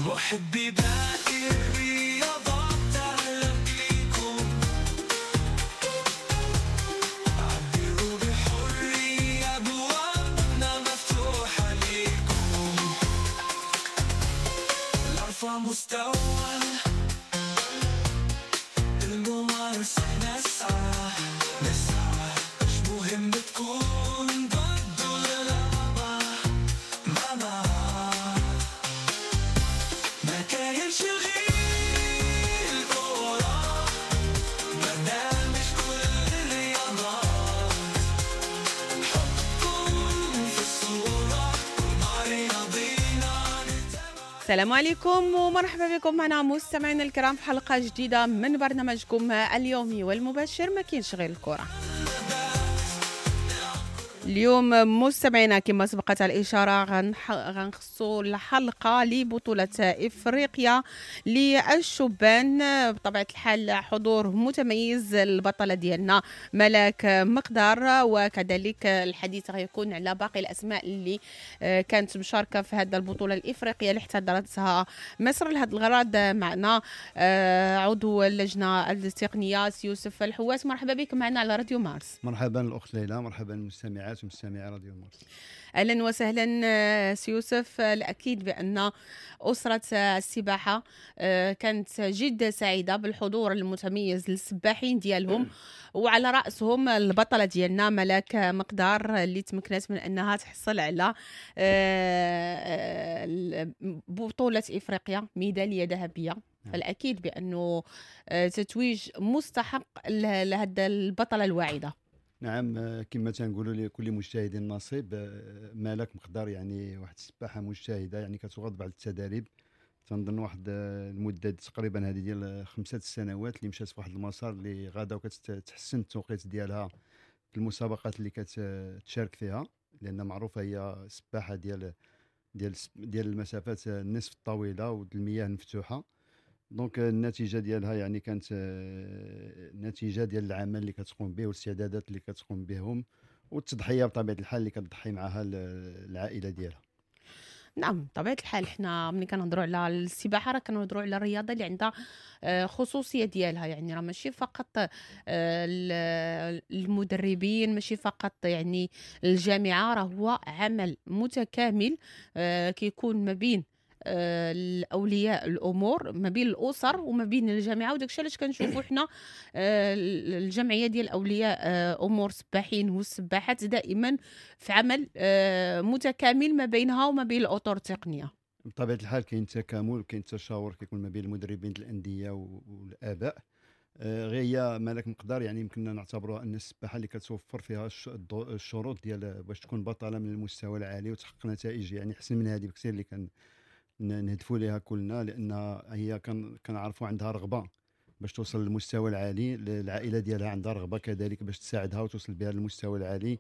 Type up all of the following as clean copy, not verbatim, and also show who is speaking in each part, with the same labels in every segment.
Speaker 1: محبي باقي الرياضات أهلا بيكم، عبروا بحرية، أبوابنا مفتوحة ليكم. لأرفع مستوى الممارسة نسعى نسعى، مش مهم تكون ضد ولا لا، ما ما كاينش غير الكورة، برنامج كل الرياضات، حطكم في الصورة مع رياضينا نتابع.
Speaker 2: السلام عليكم ومرحبا بكم معنا مستمعينا الكرام في حلقة جديدة من برنامجكم اليومي والمباشر ما كاينش غير الكرة. اليوم مستمعينا كما سبقت الإشارة غنخصو الحلقة لبطولة إفريقيا للشبان، بطبيعة الحال حضور متميز البطلة ديالنا ملاك مقدار، وكذلك الحديث غيكون على باقي الأسماء اللي كانت مشاركة في هذه البطولة الإفريقية اللي احتضنتها مصر. لهذا الغرض معنا عضو اللجنة التقنية سي يوسف الحواس، مرحبا بك معنا على راديو مارس.
Speaker 3: مرحبا الأخت ليلى، مرحبا المستمعات ومستمعي راديو مارس.
Speaker 2: اهلا وسهلا سي يوسف. الاكيد بان اسره السباحة كانت جد سعيدة بالحضور المتميز للسباحين ديالهم، وعلى راسهم البطلة ديالنا ملاك مقدار اللي تمكنت من انها تحصل على بطوله افريقيا ميدالية ذهبية. فالاكيد بانه تتويج مستحق لهذا البطلة الواعدة.
Speaker 3: نعم، كما تنقولوا لكل مجتهد نصيب، ملاك مقدار يعني واحد السباحة مجتهدة، يعني كتواظب على التدريب. تنظن واحد المدة تقريبا هذه ديال 5 سنوات اللي مشات في واحد المسار اللي غادا وكتحسن التوقيت ديالها في المسابقات اللي كتشارك فيها، لان معروفة هي سباحة ديال ديال ديال المسافات النصف الطويلة والمياه المفتوحة. donc النتيجة ديالها يعني كانت نتيجة ديال العمل اللي كتقوم به والاستعدادات اللي كتقوم بهم والتضحية بطبيعة الحال اللي كتضحي معها العائلة ديالها.
Speaker 2: نعم بطبيعة الحال حنا ملي كنهضروا على السباحة راه كنهضروا على الرياضة اللي عندها خصوصية ديالها، يعني راه ماشي فقط المدربين، ماشي فقط يعني الجامعة، راه هو عمل متكامل كيكون ما بين الاولياء الامور، ما بين الاسر وما بين الجامعة. وداكشي علاش كنشوفوا حنا الجمعية ديال اولياء امور السباحين والسباحات دائما في عمل متكامل ما بينها وما بين الاطر التقنية.
Speaker 3: بطبيعة الحال كاين تكامل وكاين تشاور كيكون ما بين المدربين الاندية والاباء. غير هي ملاك مقدار يعني يمكننا نعتبروها ان السباحة اللي كتوفر فيها الشروط ديال باش تكون بطلة من المستوى العالي وتحقق نتائج يعني احسن من هذه بكثير اللي كان نهدفوا لها كلنا، لان هي كنعرفوا عندها رغبة باش توصل للمستوى العالي، العائلة ديالها عندها رغبة كذلك باش تساعدها وتوصل بها للمستوى العالي.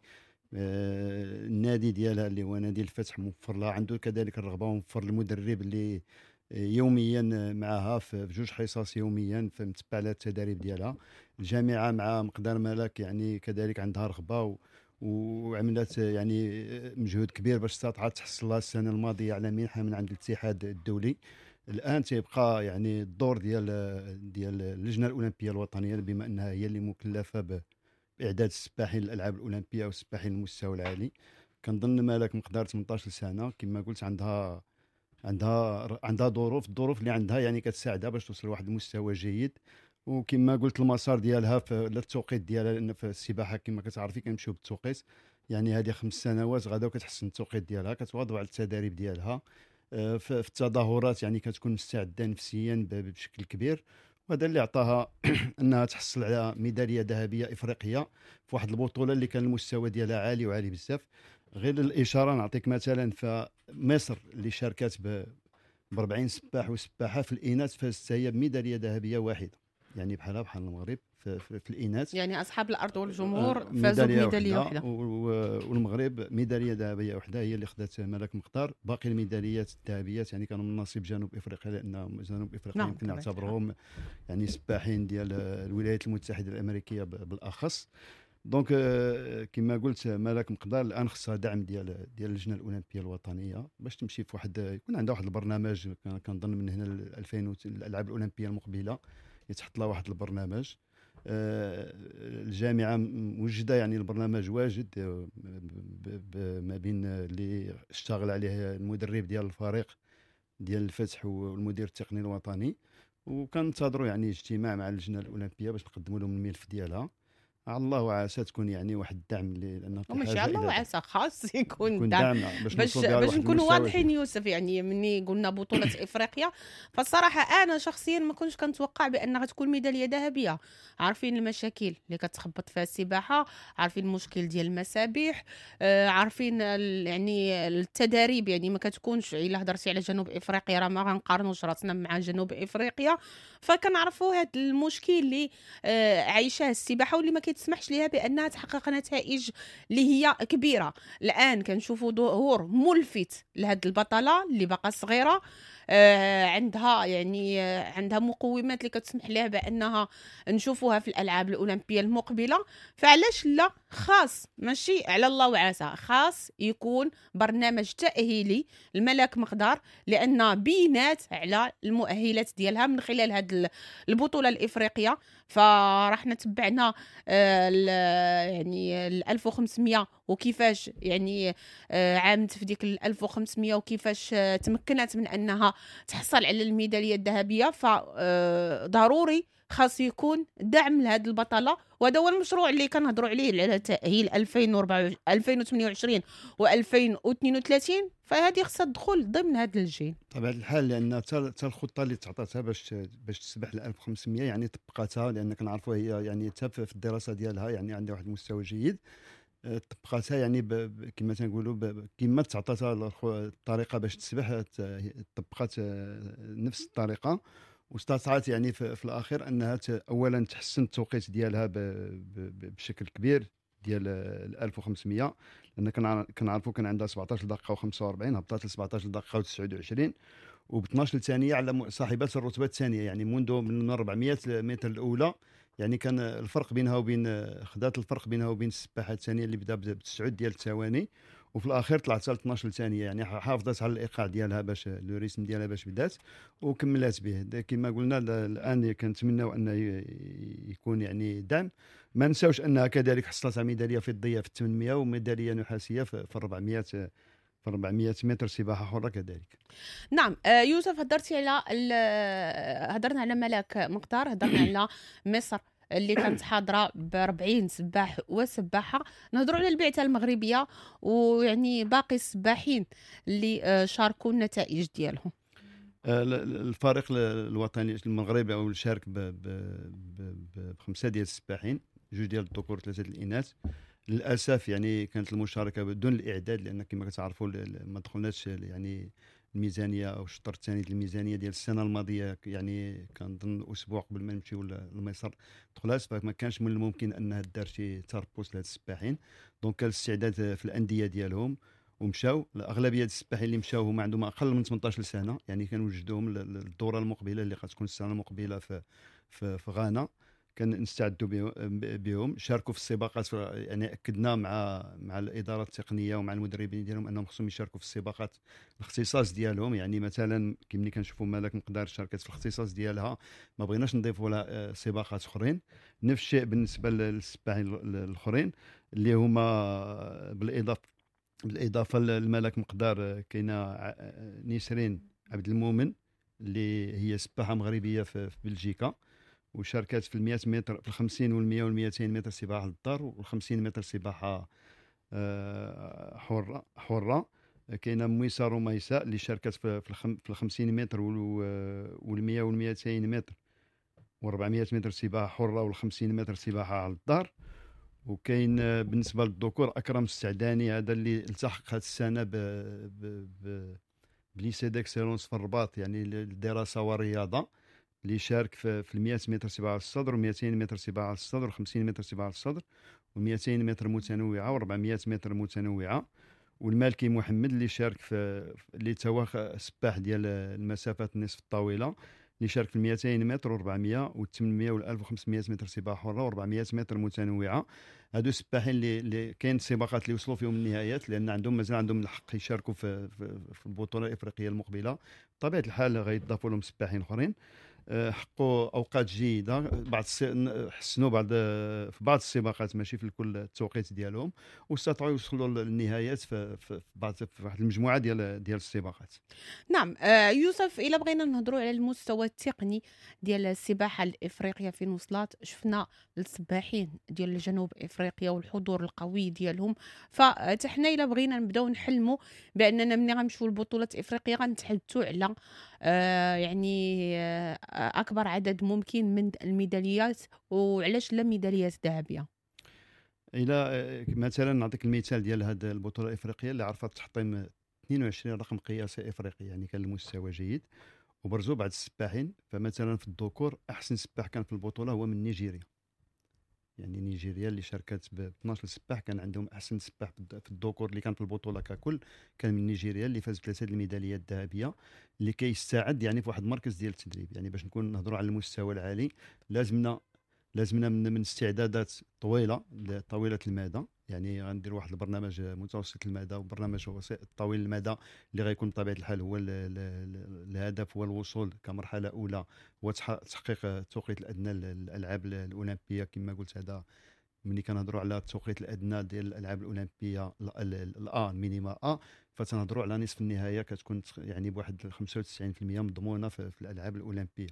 Speaker 3: النادي ديالها اللي هو نادي الفتح موفر لها، عنده كذلك الرغبة، وموفر المدرب اللي يوميا معها في 2 حصص يوميا فمتبع لها التدريب ديالها. الجامعة مع مقدار ملاك يعني كذلك عندها رغبة وعملت يعني مجهود كبير باش استطاعت تحصل لها السنة الماضية على منحه من عند الاتحاد الدولي. الان تيبقى يعني الدور ديال اللجنة الاولمبية الوطنية، بما انها هي اللي مكلفة باعداد السباحين للالعاب الاولمبية والسباحين للمستوى العالي. كنظن ملاك مقدار 18 سنة كما قلت عندها عندها عندها ظروف، الظروف اللي عندها يعني كتساعدها باش توصل لواحد المستوى جيد. وكما قلت المسار ديالها في التوقيت ديالها، لان في السباحة كما كتعرفي كنمشيو بالتوقيت، يعني هذه 5 سنوات غادا وكتحسن التوقيت ديالها، كتواظب على التداريب ديالها في التظاهرات، يعني كتكون مستعدة نفسيا بشكل كبير. وهذا اللي عطاها انها تحصل على ميدالية ذهبية افريقية في واحد البطولة اللي كان المستوى ديالها عالي وعالي بزاف. غير للاشارة نعطيك مثلا فمصر اللي شاركت ب 40 سباح وسباحه في الاناث فازت هي بميداليه ذهبية واحدة، يعني بحالها بحال المغرب في الاناث،
Speaker 2: يعني اصحاب الارض والجمهور فازوا بميداليه واحدة،
Speaker 3: والمغرب ميدالية ذهبية واحدة هي اللي خدات ملاك مقدار. باقي الميداليات الذهبيات يعني كانوا من نصيب جنوب افريقيا، لان جنوب افريقيا يمكن نعتبرهم يعني سباحين ديال الولايات المتحدة الامريكية بالاخص. donc كما قلت ملاك مقدار الان خصها دعم ديال اللجنة الاولمبية الوطنية باش تمشي في واحد، يكون عندها واحد البرنامج. كنظن من هنا ل 2000 الالعاب الاولمبية المقبلة يتحط لها واحد البرنامج. الجامعة موجده، يعني البرنامج واجد ما بين اللي اشتغل عليه المدرب ديال الفريق ديال الفتح والمدير التقني الوطني، وكنتظروا يعني اجتماع مع اللجنة الاولمبية باش نقدموا لهم الملف ديالها. على الله وعسى تكون يعني واحد الدعم، لان
Speaker 2: وماشي على الله وعسى، خاص يكون دعم باش نكونوا واضحين يوسف. يعني مني قلنا بطوله افريقيا، فالصراحه انا شخصيا ما كنتش كنتوقع بان غتكون ميدالية ذهبية. عارفين المشاكل اللي كتخبط فيها السباحة، عارفين المشكل ديال المسابح، عارفين يعني التداريب، يعني ما كتكونش. الا هضرتي على جنوب افريقيا راه ما غنقارنوش راسنا مع جنوب افريقيا، فكنعرفوا هذا المشكل اللي عايشاه السباحة واللي ما تسمحش لها بانها تحقق نتائج اللي هي كبيرة. الان كنشوفوا ظهور ملفت لهاد البطلة اللي باقا صغيرة، عندها يعني عندها مقومات اللي كتسمح لها بانها نشوفوها في الالعاب الاولمبية المقبلة. فعلاش لا؟ خاص ماشي على الله وعسى، خاص يكون برنامج تاهيلي الملاك مقدار، لان بينات على المؤهلات ديالها من خلال هاد البطولة الافريقية. فرحنا تبعنا يعني 1500 وكيفاش يعني عامت في ديك 1500 وكيفاش تمكنت من انها تحصل على الميداليه الذهبية. فضروري خاص يكون دعم لهذه البطلة، وهذا هو المشروع اللي كنهضروا عليه على تاهيل 2028 و2032. فهذه خصها تدخل ضمن هذا الجيل
Speaker 3: طبعا الحال، لان حتى الخطة اللي تعطاتها باش تسبح ل 1500 يعني طبقاتها، لان كنعرفوا هي يعني حتى في الدراسة ديالها يعني عندها واحد المستوى جيد، طبقاتها يعني كما تنقولوا كما تعطاتها الطريقة باش تسبح طبقات نفس الطريقة، واستطاعت يعني في الاخير انها اولا تحسن التوقيت ديالها بشكل كبير ديال 1500، لان كنعرفوا كان عندها 17 دقيقة و45، هبطت ل 17 دقيقة و29 وب 12 ثانية على صاحبات الرتبة الثانية، يعني منذ من 400 متر الاولى يعني كان الفرق بينها وبين خدات الفرق بينها وبين السباحة الثانية اللي بدا ب9 ديال الثواني، وفي الاخير طلعت ل 12 ثانية، يعني حافظت على الايقاع ديالها باش le rythme ديالها باش بدات وكملات به. كما قلنا الان كنتمناو ان يكون يعني دعم. ما نساوش انها كذلك حصلت على ميدالية فضية في 800 وميداليه نحاسيه في 400 متر سباحة حره كذلك.
Speaker 2: نعم يوسف، هضرتي على هضرنا على ملاك مقدار، هضرنا على مصر اللي كانت حاضره ب 40 سباح وسباحه، نهضروا على البعثة المغربية ويعني باقي السباحين اللي شاركوا النتائج ديالهم.
Speaker 3: الفريق الوطني المغربي او شارك بخمسة ديال السباحين، 2 ديال الذكور 3 ديال الاناث. للاسف يعني كانت المشاركة بدون الاعداد، لان كما كتعرفوا ما دخلناش يعني الميزانية او الشطر الثاني ديال الميزانية ديال السنة الماضية، يعني كنظن اسبوع قبل ما نمشيو لمصر دخلات، فما كانش من الممكن انها دار شي تربوس لهاد السباحين. donc كان الاستعداد في الاندية ديالهم ومشاو. الاغلبية ديال السباحين اللي مشاو هما عندهم اقل من 18 سنة، يعني كنوجدوهم للدورة المقبلة اللي غتكون السنة المقبلة في في, في غانا، كنستعدوا بهم. شاركوا في السباقات، يعني اكدنا مع الادارة التقنية ومع المدربين ديالهم انهم خصهم يشاركوا في السباقات الاختصاص ديالهم. يعني مثلا كما كنشوفوا ملاك مقدار شاركت في الاختصاص ديالها، ما بغيناش نضيفوا لها سباقات اخرين. نفس الشيء بالنسبة للسباحين الاخرين اللي هما بالاضافة لملاك مقدار كاينه نسرين عبد المؤمن اللي هي سباحة مغربية في بلجيكا، وشاركت في 100 متر، في 50 وال100 وال200 متر سباحة للدار، وال50 متر سباحة حره. كاينه مويسه رميساء اللي شاركت في 50 متر وال100 وال200 متر و400 متر سباحة حره وال50 متر سباحة على الدار. وكاين بالنسبة للذكور اكرم السعداني، هذا اللي التحق هذه السنة ب lycée d'excellence في الرباط، يعني الدراسة والرياضة، اللي شارك في 100 متر سباحة على الصدر و200 متر سباحة على الصدر و50 متر سباحة على الصدر و200 متر متنوعة و400 متر متنوعة. والمالكي محمد اللي شارك في اللي توا سباح ديال المسافات النصف الطويلة، اللي شارك في 200 متر و400 و800 و1500 متر سباحة حره و400 متر متنوعة. هادو السباحين اللي كاين سباقات اللي وصلوا فيهم النهايات، لان عندهم مازال عندهم الحق يشاركوا في البطولة الافريقية المقبلة. بطبيعة الحال غيضافوا لهم سباحين اخرين. حققوا اوقات جيده، بعض حسنوا بعض في بعض السباقات، ماشي في الكل التوقيت ديالهم، واستطاعوا يوصلوا للنهايات في واحد المجموعة ديال السباقات.
Speaker 2: نعم. يوسف، الا بغينا نهضروا على المستوى التقني ديال السباحة الافريقية فين وصلت، شفنا السباحين ديال جنوب افريقيا والحضور القوي ديالهم، فحنا الا بغينا نبداو نحلموا باننا ملي غنمشيو لبطولة افريقيا غنتحدثوا على يعني اكبر عدد ممكن من الميداليات، وعلاش لا ميداليات ذهبية.
Speaker 3: الى مثلا نعطيك المثال ديال هذه البطولة الافريقية اللي عرفت تحطيم 22 رقم قياسي افريقي، يعني كان المستوى جيد وبرزوا بعض السباحين. فمثلا في الذكور احسن سباح كان في البطولة هو من نيجيريا، يعني نيجيريا اللي شاركت ب 12 سباح كان عندهم احسن سباح في الذكور اللي كان في البطولة ككل كان من نيجيريا، اللي فاز بثلاثة الميداليات الذهبية، اللي كيستعد يعني في واحد المركز ديال التدريب. يعني باش نكون نهضروا على المستوى العالي لازمنا من استعدادات طويلة المدى، يعني غندير واحد البرنامج متوسط المدى وبرنامج طويل المدى اللي غيكون بطبيعة الحال هو الهدف هو الوصول كمرحلة اولى هو تحقيق التوقيت الادنى للالعاب الاولمبية. كما قلت هذا ملي كنهضروا على التوقيت الادنى ديال الالعاب الاولمبية ال minima A، فتنهضروا على نصف النهاية كتكون يعني بواحد 95% مضمونه في الالعاب الاولمبية.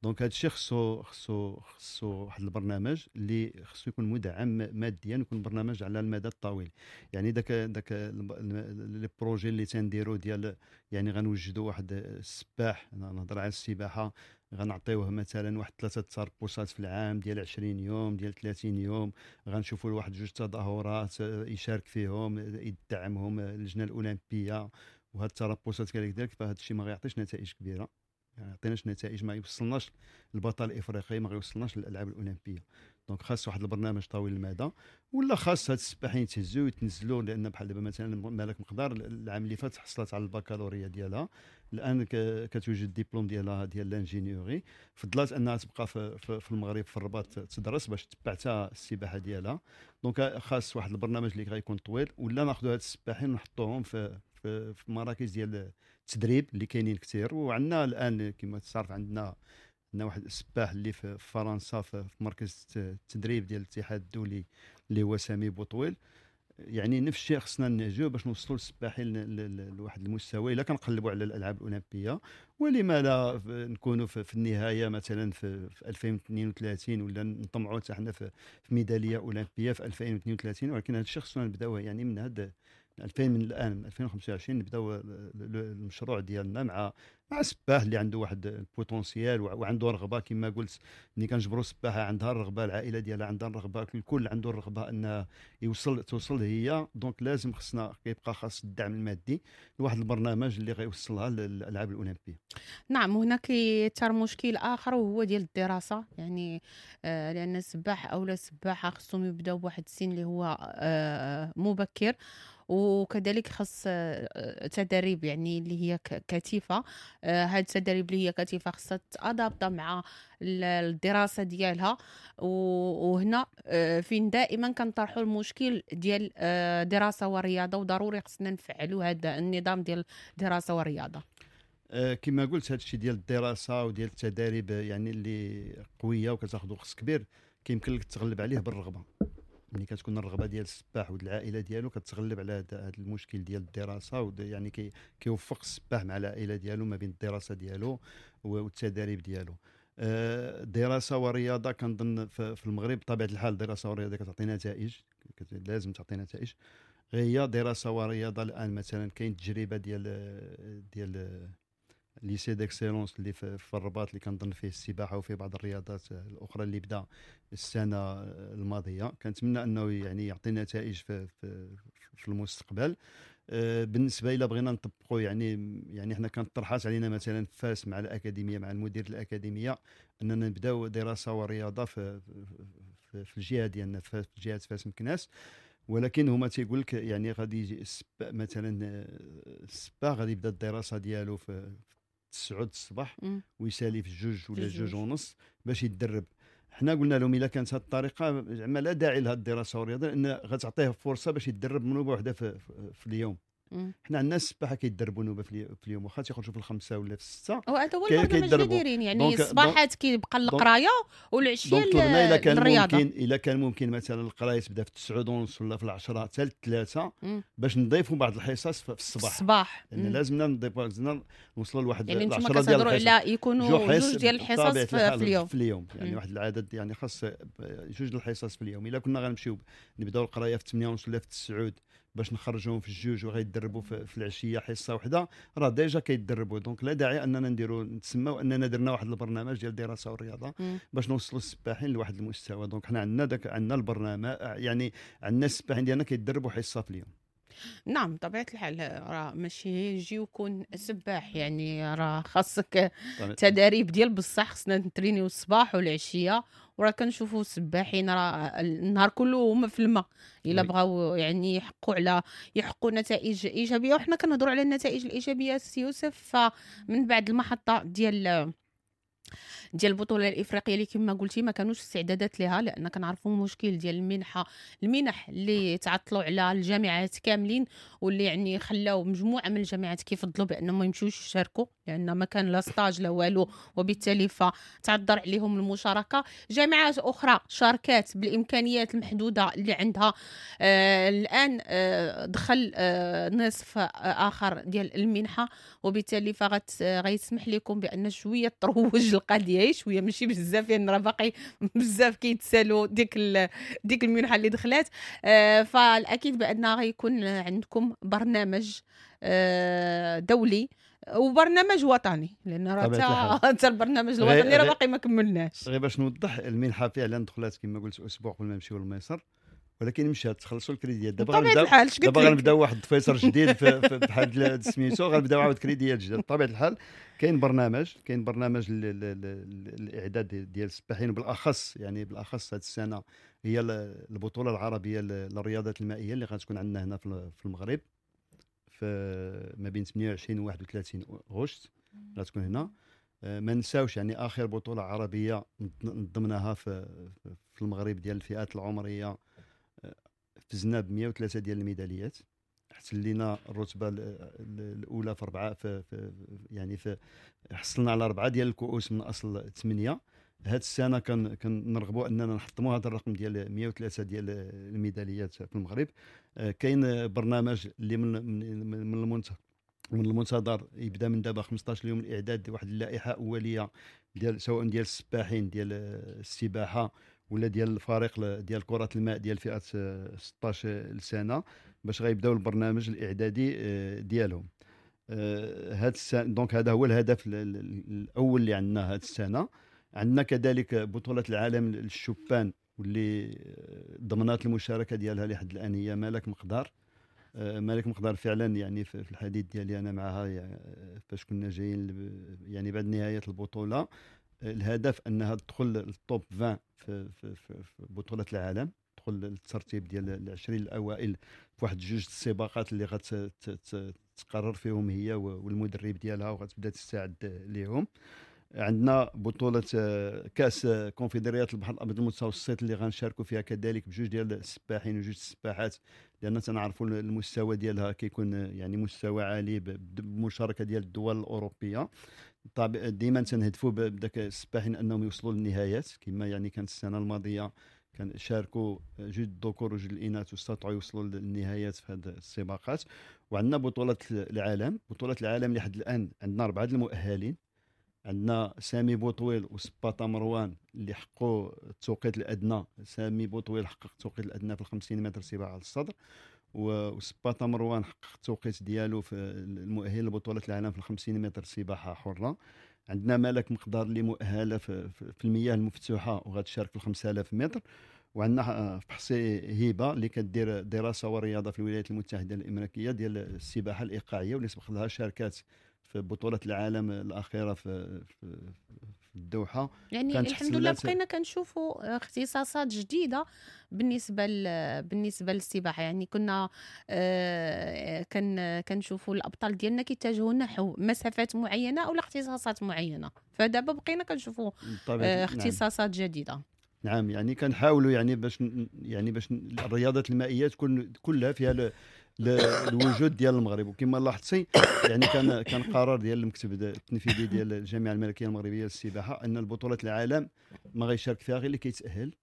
Speaker 3: donc هذا الشيء خصو واحد البرنامج اللي خصو يكون مدعم ماديا، يكون برنامج على المدى الطويل. يعني داك les projets اللي تنديرو ديال يعني غنوجدوا واحد السباح، انا نهضر على السباحة، غنعطيوه مثلا واحد 3 تربصات في العام ديال 20 يوم ديال 30 يوم، غنشوفوا له واحد 2 تظاهرات يشارك فيهم يدعمهم اللجنة الاولمبية، وهاد التربصات كذلك. فهاد الشيء ما غيعطيش نتائج كبيرة، يعني يعطيناش نتائج، ما يوصلناش للبطل الافريقي، ما غيوصلناش للالعاب الاولمبية. donc خاص واحد البرنامج طويل المدى، ولا خاص هاد السباحين يتهزوا ويتنزلوا، لان بحال دابا مثلا مالك مقدار العام اللي فات حصلت على البكالوريا ديالها، الان كتوجد الدبلوم ديالها ديال l'ingénierie، فضلات انها تبقى في المغرب في الرباط تدرس باش تتبع حتى السباحة ديالها. donc خاص واحد البرنامج اللي غيكون طويل، ولا ناخذوا هاد السباحين ونحطوهم في مراكز ديال التدريب اللي كاينين كثير. وعندنا الان كما تعرف عندنا واحد السباح اللي في فرنسا في مركز التدريب ديال الاتحاد الدولي اللي هو سامي بوطويل. يعني نفس الشيء خصنا نهجو باش نوصلوا للسباحين لواحد المستوى الا كنقلبوا على الالعاب الاولمبية، ولما لا نكونوا في النهاية مثلا في 2032، ولا نطمعوا حتى حنا في ميدالية اولمبيه في 2032. ولكن هذا الشيء خصنا نبداوه يعني من هذا 2000، من الان من 2025 نبداو المشروع ديالنا مع سباح اللي عنده واحد ال potentiel وعنده رغبة. كما قلت ملي كنجبروا سباحة عندها الرغبة، العائلة ديالها عندها الرغبة، الكل عنده الرغبة ان توصل هي. donc لازم خصنا كيبقى خاص الدعم المادي لواحد البرنامج اللي غيوصلها للالعاب الاولمبية.
Speaker 2: نعم، هناك كيثار مشكل اخر وهو ديال الدراسة، يعني لان السباح او السباحة خصهم يبداو بواحد السن اللي هو مبكر، وكذلك خص تدريب يعني اللي هي كثيفة. هاد التدريب اللي هي كثيفة خصها تادابتا مع الدراسة ديالها، وهنا فين دائما كنطرحوا المشكل ديال دراسة ورياضة، وضروري خصنا نفعلوا هذا النظام ديال دراسة ورياضة.
Speaker 3: كما قلت هذا الشيء ديال الدراسة وديال التدريب يعني اللي قوية وكتاخذ وقت كبير، كيمكن لك تغلب عليه بالرغبه. ملي كتكون الرغبة ديال السباح والعائلة ديالو كتغلب على هذا المشكل ديال الدراسة، يعني كيوفق السباح مع العائلة ديالو ما بين الدراسة ديالو والتدريب ديالو. دراسة ورياضة كنظن في المغرب بطبيعة الحال دراسة ورياضة كتعطي نتائج، لازم تعطي نتائج. غير هي دراسة ورياضة الان مثلا كاين تجربه ديال lycée d'excellence اللي في الرباط اللي كنظن فيه السباحة وفيه بعض الرياضات الاخرى اللي بدا السنة الماضية، كنتمنى انه يعني يعطي نتائج في المستقبل. بالنسبة الى بغينا نطبقوا يعني حنا كانت طرحات علينا مثلا فاس مع الاكاديمية، مع المدير الاكاديمية، اننا نبداو دراسة ورياضة في الجهة ديالنا في جهة فاس مكناس، ولكن هما تيقول لك يعني غادي يجي مثلا السباح غادي يبدا الدراسة ديالو في 9 الصباح ويسالي في 2 ولا 2:30 باش يتدرب. حنا قلنا لهم الا كانت هذه الطريقة زعما لا داعي لهذه الدراسة والرياضة، لان غتعطيه فرصة باش يتدرب منوبه واحدة في اليوم. حنا عندنا السباحة كيدربوا نوبه في اليوم، واخا تيخرجوا في 5 ولا في 6.
Speaker 2: وهذا هو البرنامج اللي دايرين، يعني الصباحات كيبقى القراية والعشيه الرياضة.
Speaker 3: الا كان ممكن مثلا القراية تبدا في 9:30 ولا في 10 حتى 3 باش نضيفوا بعض الحصص في الصباح، لان لازمنا نضيفوا نوصلوا لواحد
Speaker 2: يعني 10 ديال الحصص، على يكونوا جوج ديال الحصص في
Speaker 3: اليوم، يعني واحد العدد يعني خاص جوج الحصص في اليوم. الا كنا غنمشيو نبداو القراية في 8:30 ولا في 9 باش نخرجوهم في 2 وغيدربوا في العشية حصة واحدة، راه déjà كيدربوا. donc لا داعي اننا نديروا نتسماو اننا درنا واحد البرنامج ديال الدراسة والرياضة باش نوصلوا السباحين لواحد المستوى. donc حنا عندنا عندنا البرنامج، يعني عندنا السباحين ديالنا كيدربوا حصة في اليوم.
Speaker 2: نعم طبيعة الحال، راه ماشي يجي ويكون سباح، يعني راه خاصك تداريب ديال بصح، خصنا نترينيو الصباح والعشيه، وراه كنشوفوا السباحين راه النهار كله هما في الماء الا بغاو يعني يحققوا نتائج ايجابية. وحنا كنهضروا على النتائج الايجابية سي يوسف، فمن بعد المحطة ديال البطولة الافريقية اللي كما قلتي ما كانوش استعدادات لها، لان كنعرفوا مشكل ديال المنح اللي تعطلوا على الجامعات كاملين، واللي يعني خلاو مجموعة من الجامعات كيفضلوا بانهم ما يمشيوش يشاركوا، لان ما كان لا stage لا والو، وبالتالي فتعذر عليهم المشاركة. جامعات اخرى شاركات بالامكانيات المحدودة اللي عندها. الان دخل نصف اخر ديال المنحة، وبالتالي فغيسمح لكم بان شوية تروج القضية شوية، ماشي بزاف، لان راه باقي بزاف كيتسالوا ديك المنحة اللي دخلات. فالاكيد بان غيكون عندكم برنامج دولي وبرنامج وطني، لان راه حتى البرنامج الوطني راه باقي ما كملناش.
Speaker 3: غير باش نوضح، المنحة فعلا دخلات كما قلت اسبوع قبل ما نمشيو لمصر، ولكن مشات تخلصوا الكريديات. دابا غنبداو واحد الفيصل جديد بحال سميتو، غنبداو عاود كريديات جداد. بطبيعة الحال كاين برنامج الاعداد ديال السباحين، بالاخص يعني بالاخص هذه السنة هي البطولة العربية للرياضات المائية اللي غتكون عندنا هنا في المغرب في ما بين 28 و 31 غشت غتكون هنا. ما نساوش يعني اخر بطوله عربية نظمناها في المغرب ديال الفئات العمرية فزنا ب 103 ديال الميداليات، احتلينا الرتبة الاولى في اربعة في يعني في حصلنا على 4 ديال الكؤوس من اصل 8. هذه السنة كنرغبوا اننا نحطموا هذا الرقم ديال 103 ديال الميداليات في المغرب. كاين برنامج اللي من المنتظر يبدا من دابا 15 يوم الاعداد واحد اللائحة اوليه ديال سواء ديال السباحين ديال السباحة ولا ديال الفريق ديال كره الماء ديال فئة 16 سنة باش غيبداو البرنامج الاعدادي ديالهم. هاد السنة donc هذا هو الهدف الاول اللي عندنا هاد السنة. عندنا كذلك بطوله العالم للشبان واللي ضمنات المشاركة ديالها لحد الان هي مالك مقدار. مالك مقدار فعلا يعني في الحديث ديالي انا معها يعني فاش كنا جايين يعني بعد نهاية البطولة، الهدف انها تدخل ال top 20 في بطوله العالم، تدخل الترتيب ديال 20 الاوائل في واحد جوج السباقات اللي غتقرر فيهم هي والمدرب ديالها وغتبدا تستعد ليهم. عندنا بطولة كأس كونفدرالية البحر الأبيض المتوسط اللي غنشاركوا فيها كذلك بجوج ديال السباحين وجوج السباحات، لأن تنعرفوا المستوى ديالها كيكون يعني مستوى عالي بمشاركة ديال الدول الأوروبية. طبعا ديما تنهدفوا بداك السباحين أنهم يوصلوا للنهايات، كما يعني كانت السنة الماضية كان شاركوا جوج الذكور وجوج الإناث واستطاعوا يوصلوا للنهايات في هذه السباقات. وعندنا بطولة العالم، بطولة العالم لحد الآن عندنا 4 المؤهلين، عندنا سامي بوطويل وسباطا مروان اللي حققوا التوقيت الادنى. سامي بوطويل حقق التوقيت الادنى في 50 متر سباحة على الصدر، وسباطا مروان حقق التوقيت ديالو في المؤهل لبطولة العالم في 50 متر سباحة حره. عندنا مالك مقدار اللي مؤهلة في المياه المفتوحة وغتشارك في 5000 متر. وعندنا فحصي هبه اللي كدير دراسة ورياضة في الولايات المتحدة الامريكية ديال السباحة الايقاعيه واللي سبق لها شاركات في بطوله العالم الاخيرة في الدوحه.
Speaker 2: يعني الحمد لله بقينا كنشوفوا اختصاصات جديدة بالنسبة للسباحه. يعني كنا كنشوفوا الابطال ديالنا كيتجهوا نحو مسافات معينة او اختصاصات معينه، فدابا بقينا كنشوفوا اختصاصات جديده.
Speaker 3: نعم، يعني كنحاولوا يعني باش الرياضات المائية تكون كلها فيها الوجود ديال المغرب. وكما لاحظتي يعني كان قرار ديال المكتب التنفيذي ديال الجامعة الملكية المغربية للسباحه ان البطولات العالم ما غيشارك فيها غير اللي كيتاهل،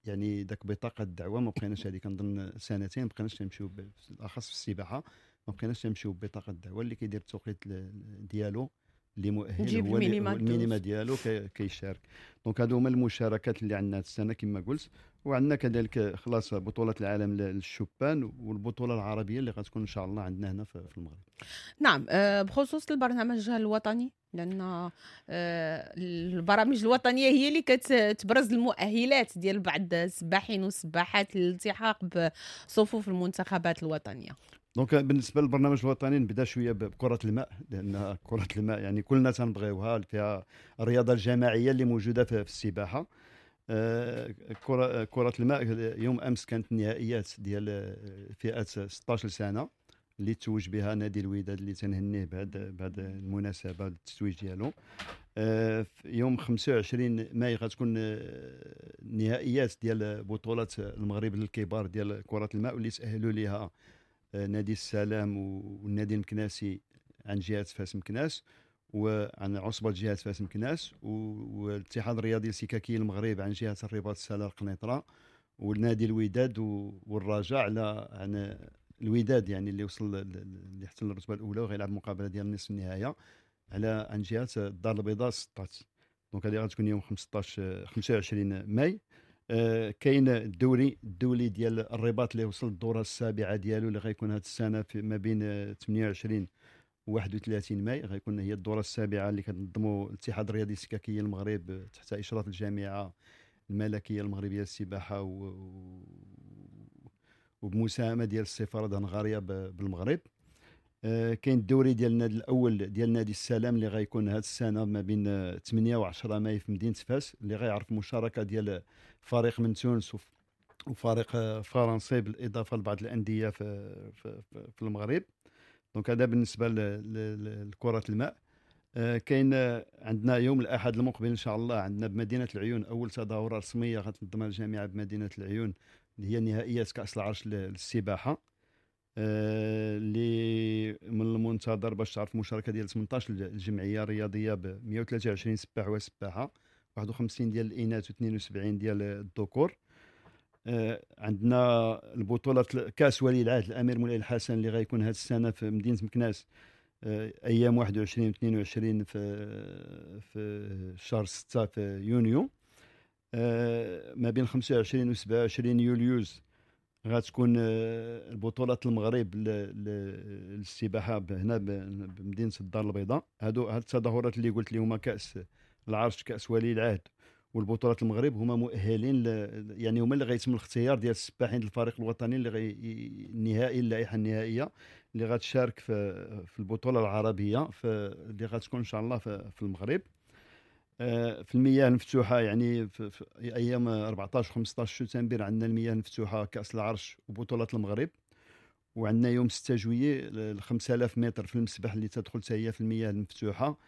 Speaker 3: يعني داك بطاقة الدعوة ما بقيناش هذه كنظن سنتين ما بقيناش نمشيو، بالاخص في السباحة ما بقيناش نمشيو ببطاقه الدعوه. اللي كيدير التوقيت ديالو اللي مؤهل هو ال minima ديالو كيشارك. donc هادو هما المشاركات اللي عندنا هاد السنة كما قلت. وعندنا كذلك خلاص بطوله العالم للشبان والبطوله العربية اللي غتكون ان شاء الله عندنا هنا في المغرب.
Speaker 2: نعم، بخصوص البرنامج الوطني، لان البرامج الوطنية هي اللي كتبرز المؤهلات ديال بعض السباحين والسباحات للالتحاق بصفوف المنتخبات الوطنية.
Speaker 3: donc بالنسبة للبرنامج الوطني نبدا شوية بكره الماء، لان كره الماء يعني كلنا تنبغيوها، فيها الرياضة الجماعية اللي موجودة في السباحة. كره الماء يوم امس كانت النهائيات ديال فئة 16 سنة اللي توج بها نادي الوداد اللي تنهنيه بهذه المناسبة التتويج ديالو. يوم 25 ماي غتكون نهائيات ديال بطوله المغرب للكبار ديال كره الماء واللي تاهلوا لها نادي السلام والنادي المكناسي عن جهة فاس مكناس وعن عصبه جهة فاس مكناس، والاتحاد الرياضي السككي المغرب عن جهة الرباط السلا القنيطره، والنادي الوداد والرجاء على عن الوداد يعني اللي وصل اللي احتل الرتبة الاولى وغيلعب مقابله ديال نصف النهاية على عن جهة الدار البيضاء 16. donc هذه غتكون يوم 25 ماي. كاين الدولي ديال الرباط اللي وصل الدورة السابعة ديالو اللي غيكون هذه السنة في ما بين 28 و 31 ماي، غيكون هي الدورة السابعة اللي كتنظموا الاتحاد الرياضي السككي المغرب تحت اشراف الجامعة الملكية المغربية للسباحه وبمساهمه ديال السفارة الهنغاريه بالمغرب. كاين الدوري ديال النادي الاول ديال نادي السلام اللي غيكون هذه السنة ما بين 8 و 10 ماي في مدينة فاس، اللي غيعرف مشاركة ديال فريق من تونس وفريق فرنسي بالاضافة لبعض الاندية في في, في المغرب. donc هذا بالنسبة لكرة الماء. كاين عندنا يوم الاحد المقبل ان شاء الله عندنا بمدينة العيون اول تظاهرة رسمية غتنظمها الجامعة بمدينة العيون اللي هي نهائيات كاس العرش للسباحه، اللي من المنتظر باش تعرف المشاركة ديال 18 الجمعية الرياضية ب 123 سباح وسباحه، 51 ديال الاناث و72 ديال الذكور. عندنا البطولة كاس ولي العهد الامير مولاي الحسن اللي غيكون هذه السنة في مدينة مكناس ايام 21 و 22 في شهر 6 في يونيو. ما بين 25 و 27 يوليوز غتكون البطولات المغرب للسباحه هنا بمدينة الدار البيضاء. هاد التظاهرات اللي قلت لي هما كاس العرش، كاس ولي العهد والبطولات المغرب، هما مؤهلين يعني هما اللي غيتم الاختيار ديال السباحين الفريق الوطني اللي غي النهائي، اللائحة النهائية اللي غتشارك في البطولة العربية اللي غتكون ان شاء الله في المغرب. في المياه المفتوحة يعني في ايام 14 15 شتنبر عندنا المياه المفتوحة كاس العرش وبطولات المغرب، وعندنا يوم 6 جويي 5000 متر في المسبح اللي تدخل حتى هي في المياه المفتوحة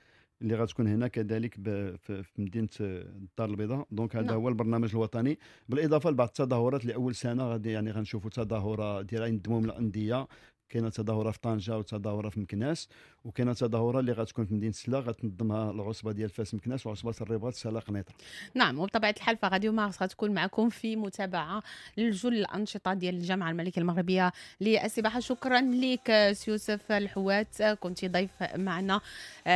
Speaker 3: اللي غتكون هنا كذلك في مدينة الدار البيضاء. donc هذا هو البرنامج الوطني، بالاضافة لبعض التظاهرات لاول سنة غادي يعني غنشوفوا تظاهرة ديال ينضموا الاندية، كاينه تظاهرة في طنجه وتظاهره في مكناس، وكاينه تظاهرة اللي غتكون في مدينة سلا غتنظمها العصبة ديال فاس مكناس وعصبه الرباط سلا قنيطره.
Speaker 2: نعم، وبطبيعة الحال فراديو مارس غتكون معكم في متابعه لجل الانشطة ديال الجامعة الملكية المغربية للسباحه. شكرا لك سي يوسف الحوات، كنت ضيف معنا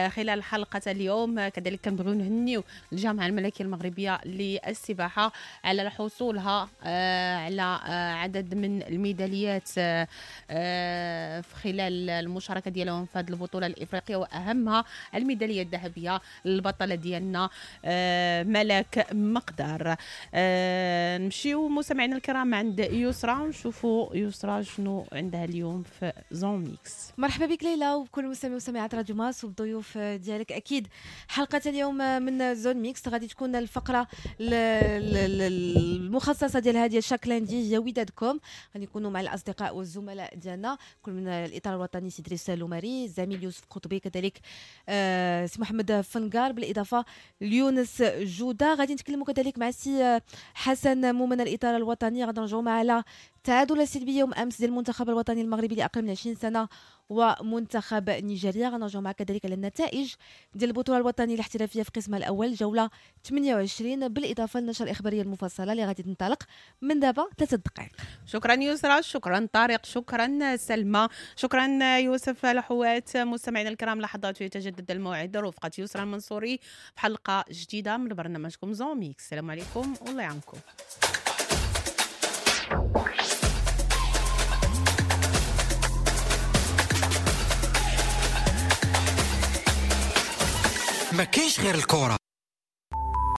Speaker 2: خلال حلقة اليوم. كذلك كنبغيو نهنيو الجامعة الملكية المغربية للسباحه على حصولها على عدد من الميداليات في خلال المشاركة ديالهم في هذه البطولة الافريقية، واهمها الميداليه الذهبية للبطله ديالنا ملاك مقدار. نمشيو مستمعينا الكرام عند يسرى ونشوفوا يسرى شنو عندها اليوم في Zone Mixte.
Speaker 4: مرحبا بك ليلى وبكل مستمعي ومستمعات راديو مارس وبالضيوف ديالك. اكيد حلقة اليوم من Zone Mixte غادي تكون الفقرة المخصصة ديال هذه chaque lundi هي ودادكم. غادي نكونوا مع الاصدقاء والزملاء ديالنا، كل من الاطار الوطني سي دريس لوماري، الزميل يوسف قطبي، كذلك سي محمد فنقار، بالاضافة ليونس جوده. غادي نتكلموا كذلك مع سي حسن مومن الاطار الوطني. غادي نرجعوا مع على التعادل السلبي يوم امس ديال المنتخب الوطني المغربي لاقل من 20 سنة ومنتخب نيجيريا. غنرجعوا مع كذلك على النتائج ديال البطولة الوطنية الاحترافية في قسمها الاول جولة 28، بالاضافة للنشره الاخبارية المفصلة اللي غادي تنطلق من دابا 3 دقائق.
Speaker 2: شكرا يسرى، شكرا طارق، شكرا سلمى، شكرا يوسف الحوات. مستمعينا الكرام، لحظات يتجدد الموعد رفقه يسرى المنصوري في حلقة جديدة من برنامجكم Zone Mixte. السلام عليكم والله يعاونكم.
Speaker 1: ما كاينش غير الكرة.